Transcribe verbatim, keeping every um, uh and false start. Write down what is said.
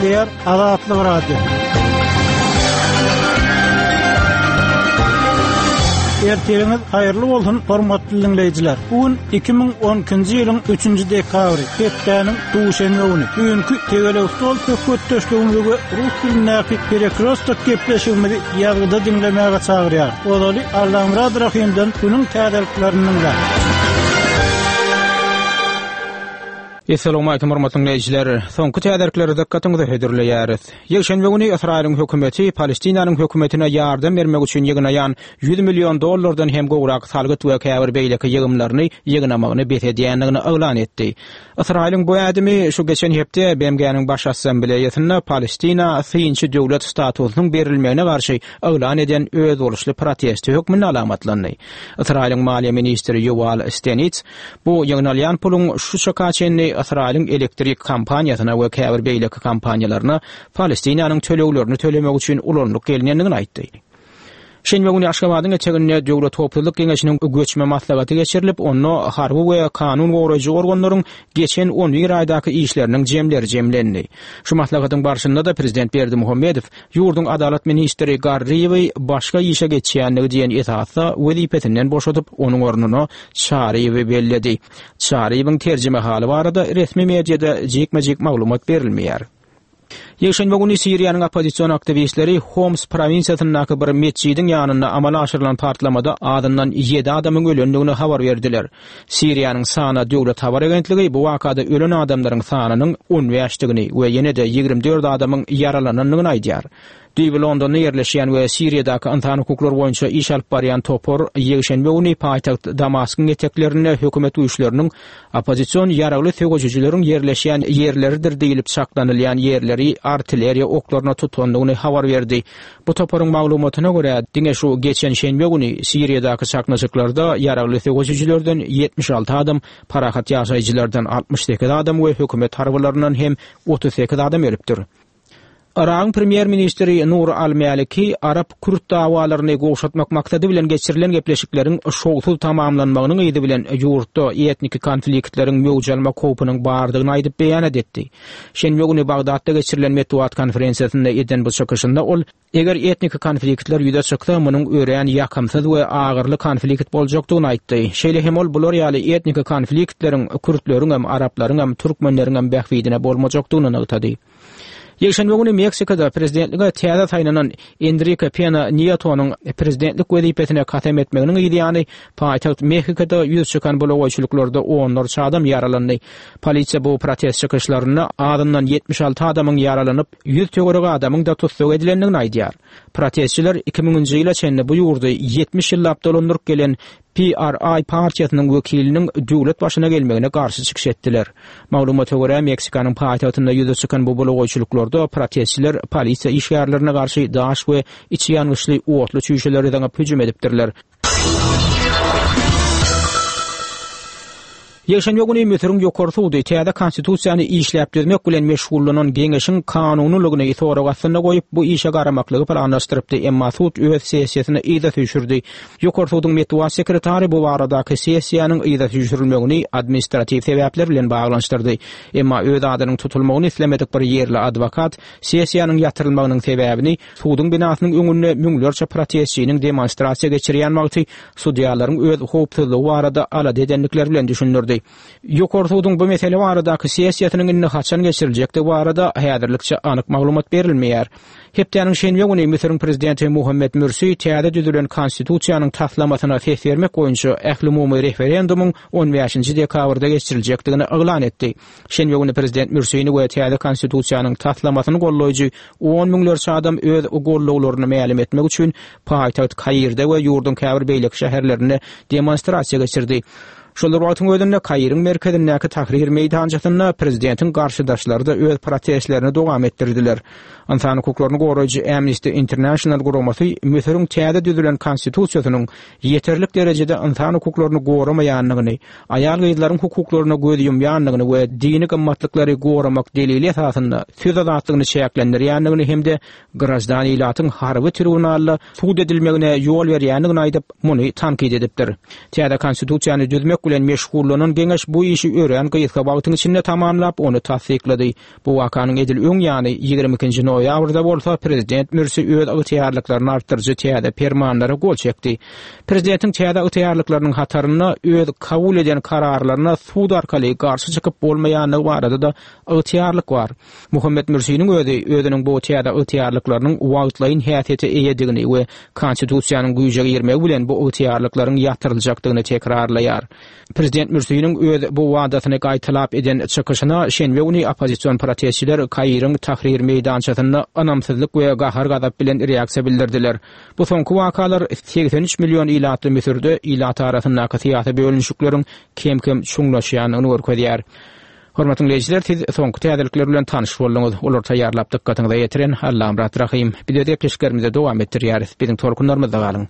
Gepleýär Azatlyk Radiosy. Ertiriňiz haýyrly bolsun, hormatly dinleýjiler. Bu gün iki müň on ikinji ýylyň üçünji dekabry, hepdäniň duşenbe güni. Bugünkü tegelek stol söhbetdeşligimizi we rus dilindäki perekrostok gepleşigimizi ýazgyda diňlemäge çagyrýar. Ozaly Allamurad Rahimden günüň täzeliklerini dinläň. Esselamu aleýkum hormatly dinleýjiler. Soňky täzelikleri dikkatiňize hödürleýäris. Ýekşenbe güni Ysraýylyň hökümeti Palestinanyň hökümetine ýardam bermek üçin ýygnaýan ýüz million dollardan hem gowrak salgyt we käbir beýleki ýygymlaryny ýygnamagyny bes edýändigini yglan etdi. Ysraýylyň bu ädimi şu geçen hepde B M G-niň baş assambleýasynda Palestina synçy döwlet statusynyň berilmegine garşy yglan eden özboluşly protesti hökmünde alamatlandy. Ysraýylyň maliýe ministri Yuval Steinitz bu ýygnalýan puluň şu çaka çenli Ysraýylyň elektrik kompaniýasyna we käbir beýleki kompaniýalaryna Palestinanyň töleglerini tölemek üçin ulanylyp gelinendigini aýtdy. Şenbe güni Aşgabadyň eteginde Döwlet Howpsuzlyk Geňeşiniň göçme maslahaty geçirilip, onda harby we kanun goraýjy organlaryň geçen on bir aýdaky işleriniň jemleri jemlendi. Şu maslahatyň barşynda da Prezident Berdimuhamedow ýurduň adalat ministri Garryýewi başga işe geçýänligi diýen esasda wezipesinden boşadyp, onuň ornuna Çaryýewi belledi. Çaryýewiň terjime haly barada resmi mediada jikme-jik maglumat berilmeýär. Ýekşenbe güni Siriýanyň oppozision aktiwistleri Homs provinsiýasyndaky bir metjidiň ýanynda amala aşyrylan partlamada azyndan ýedi adamyň ölendigini habar berdiler. Siriýanyň Sana döwlet habar agentligi bu wakada ölen adamlaryň sanynyň on bäşdigini we ýene-de ýigrimi dört adamyň ýaralanandygyny aýdýar. Düýbi Londonda ýerleşýän we Siriýadaky ynsan hukuklary boýunça iş alyp barýan topar ýekşenbe güni paýtagt Damaskyň eteklerinde hökümet güýçleriniň oppozision ýaragly söweşijileriň ýerleşýän ýerleridir diýilip çaklanylýan ýerleri artilleriýa oklaryna tutandygyny habar berdi. Bu toparyň maglumatyna görä, diňe şu geçen şenbe güni Siriýadaky çaknyşyklarda ýaragly söweşijilerden ýetmiş alty adam, parahat ýaşaýjylardan altmyş sekiz adam we hökümet harbylaryndan hem otuz sekiz adam ölüpdir. Yragyň premýer-ministri Nur al-Maliki Arap-Kürt dawalaryny gowşatmak maksady bilen geçirilen gepleşikleriň şowsuz tamamlanmagynyň yzy bilen ýurtda etniki konfliktleriň möwç almak howpunyň bardygyny aýdyp beýan etdi. Şenbe güni Bagdatda geçirilen metbugat konferensiýasynda eden bu çykyşynda ol eger etniki konfliktler ýüze çyksa, munuň örän ýakymsyz we agyrly konflikt boljakdygyny aýtdy. Şeýle hem ol bular ýaly etniki konfliktleriň kürtleriň hem, araplaryň hem, türkmenleriň hem bähbidine bolmajakdygyny nygtady. Ýekşenbe güni Meksikada prezidentlige täze saýlanan Enrique Pena Nieto'nyň prezidentlik wezipesine kasam etmeginiň ýany paýtagt Mexikoda ýüz çykan bulagaýçylyklarda onlarça adam ýaralandy. Polisiýa bu protest çykyşlarynda azyndan ýetmiş alty adamyň ýaralanyp, ýüz töweregi adamyň da tussag edilendigini aýdýar. Protestçiler iki müňünji ýyla çenli bu ýurdy ýetmiş ýyllap dolandyryp gelen P R I partiýasynyň wekiliniň döwlet başyna gelmegine garşy çykyş etdiler. Maglumata görä, Meksikanyň paýtagtynda ýüze çykan bu bulagaýçylyklarda protestçiler polisiýa işgärlerine garşy daş we içi ýangyçly otly çüýşeleri zyňyp hüjüm edipdirler. Ýekşenbe güni Müsüriň ýokary sudy täze konstitusiýany işläp düzmek bilen meşgullanan geňeşiň kanunylygyny sorag astynda goýup, bu işe garamaklygy planlaşdyrypdy, emma sud öz sessiýasyny yza süýşürdi. Ýokary suduň metbugat sekretary bu baradaky sessiýanyň yza süýşürilmegini administratiw sebäpler bilen baglanyşdyrdy. Emma öz adynyň tutulmagyny islemedik bir ýerli adwokat sessiýanyň ýatyrylmagynyň sebäbini suduň binasynyň öňünde müňlerçe protestçiniň demonstrasiýa geçirýän wagty sudýalaryň öz howpsuzlygy barada alada edendikleri bilen düşündirdi. Ýokary suduň bu mesele baradaky sessiýasynyň indi haçan geçiriljekdigi barada häzirlikçe anyk maglumat berilmeýär. Hepdäniň şenbe güni Müsüriň prezidenti Muhammed Mürsi täze düzülen konstitusiýanyň taslamasyna ses bermek boýunça ählumumy referendumyň on bäşinji dekabrda geçiriljekdigini yglan etdi. Şenbe güni prezident Mürsini we täze konstitusiýanyň taslamasyny gollaýjy on müňlerçe adam öz gollawlaryny mälim etmek üçin paýtagt Kairde we ýurduň käbir beýleki şäherlerinde demonstrasiýa geçirdi. Şol bir wagtyň özünde Kairiň merkezindäki Tahrir meýdançasynda prezidentiň garşydaşlary da öz protestlerini dowam etdirdiler. Ynsan hukuklaryny goraýjy Amnesty International guramasy Müsüriň täze düzülen konstitusiýasynyň ýeterlik derejede ynsan hukuklaryny goramaýandygyny, aýal-gyzlaryň hukuklaryna göz ýumýandygyny we dini gymmatlyklary goramak delili esasynda söz azatlygyny çäklendirýändigini hem-de grajdan ilatyň harby tribunalda sud edilmegine ýol berýändigini aýdyp, muny tankyt edipdir. Täze konstitusiýany düzmek bilen meşgullanan geňeş bu işi örän gysga wagtyň içinde tamamlap, ony tassyklady. Bu wakanyň edil öň ýany ýigrimi ikinji noýabrda bolsa prezident Mürsi öz ygtyýarlyklaryny artdyryjy täze permanlara gol çekdi. Prezidentiň täze ygtyýarlyklarynyň hatarynda öz kabul eden kararlaryna sud arkaly garşy çykyp bolmaýandygy barada-da ygtyýarlyk bar. Muhammet Mürsiniň özi özüniň bu täze ygtyýarlyklarynyň wagtlaýyn häsiýete eýedigini we konstitusiýanyň güýje girmegi bilen bu ygtyýarlyklaryň ýatyryljakdygyny tekrarlaýar. Prezident Mürsiniň öz bu wadasyny gaýtalap eden çykyşyna şenbe güni oppozision protestçiler Kairiň Tahrir meýdançasynda ynamsyzlyk we gahar-gazap bilen reaksiýa bildirdiler. Bu soňky wakalar segsen üç million ilatly Müsürde ilat arasyndaky syýasy bölünişikleriň kem-kem çuňlaşýandygyny görkezýär. Hormatly dinleýjiler, siz soňky täzelikler bilen tanyş bolduňyz. Olary taýýarlap dykgatyňyza ýetiren Allamyrat Rahym. Biz öz gepleşiklerimizi dowam etdirýäris. Biziň tolkunlarymyzda galyň.